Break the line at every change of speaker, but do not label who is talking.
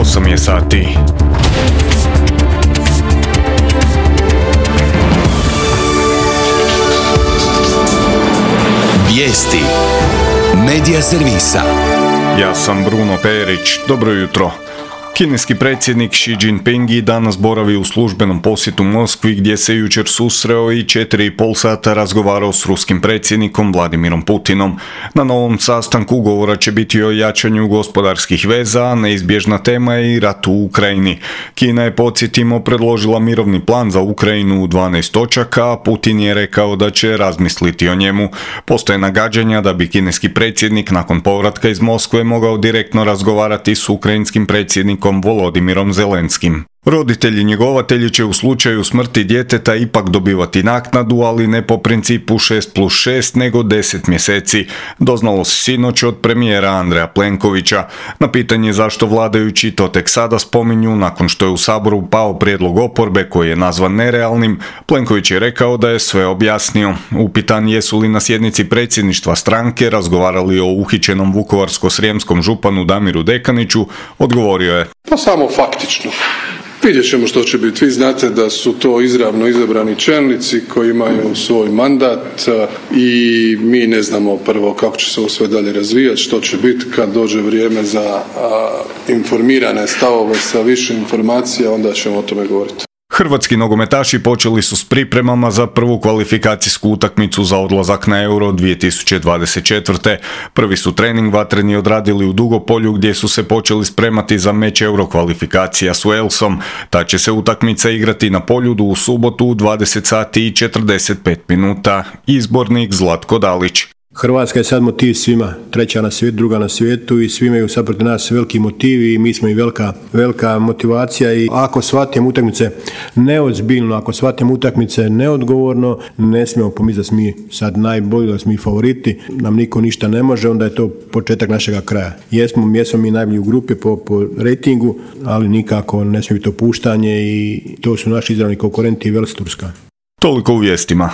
8 je sati.
Vijesti Medija servisa.
Ja sam Bruno Perić. Dobro jutro. Kineski predsjednik Xi Jinping danas boravi u službenom posjetu Moskvi gdje se jučer susreo i 4,5 sata razgovarao s ruskim predsjednikom Vladimirom Putinom. Na novom sastanku govora će biti o jačanju gospodarskih veza, a neizbježna tema je i rat u Ukrajini. Kina je, podsjetimo, predložila mirovni plan za Ukrajinu u 12 točaka, a Putin je rekao da će razmisliti o njemu. Postoje nagađanja da bi kineski predsjednik nakon povratka iz Moskve mogao direktno razgovarati s ukrajinskim predsjednikom Volodimirom Zelenskim. Roditelji njegovatelji će u slučaju smrti djeteta ipak dobivati naknadu, ali ne po principu 6+6 nego 10 mjeseci. Doznalo se sinoć od premijera Andreja Plenkovića. Na pitanje zašto vladajući to tek sada spominju nakon što je u Saboru pao prijedlog oporbe koji je nazvan nerealnim, Plenković je rekao da je sve objasnio. Upitan jesu li na sjednici predsjedništva stranke razgovarali o uhićenom vukovarsko-srijemskom županu Damiru Dekaniću, odgovorio je:
Pa samo faktično. Vidjet ćemo što će biti. Vi znate da su to izravno izabrani čelnici koji imaju svoj mandat i mi ne znamo prvo kako će se ovo sve dalje razvijati, što će biti kad dođe vrijeme za informirane stavove sa više informacija, onda ćemo o tome govoriti.
Hrvatski nogometaši počeli su s pripremama za prvu kvalifikacijsku utakmicu za odlazak na Euro 2024. Prvi su trening vatreni odradili u Dugopolju gdje su se počeli spremati za meč Euro kvalifikacija s Walesom. Ta će se utakmica igrati na Poljudu u subotu u 20 sati i 45 minuta. Izbornik Zlatko Dalić.
Hrvatska je sad motiv svima, treća na svijetu, druga na svijetu i svi imaju sad protiv nas veliki motivi i mi smo i velika motivacija i ako shvatimo utakmice neozbiljno, ako shvatimo utakmice neodgovorno, ne smijemo pomisliti da smo mi sad najbolji, da smo mi favoriti, nam niko ništa ne može, onda je to početak našega kraja. Jesmo mi najbolji u grupi po rejtingu, ali nikako ne smije biti opuštanje i to su naši izravni konkurenti i Vels, Turska.
Toliko u vijestima.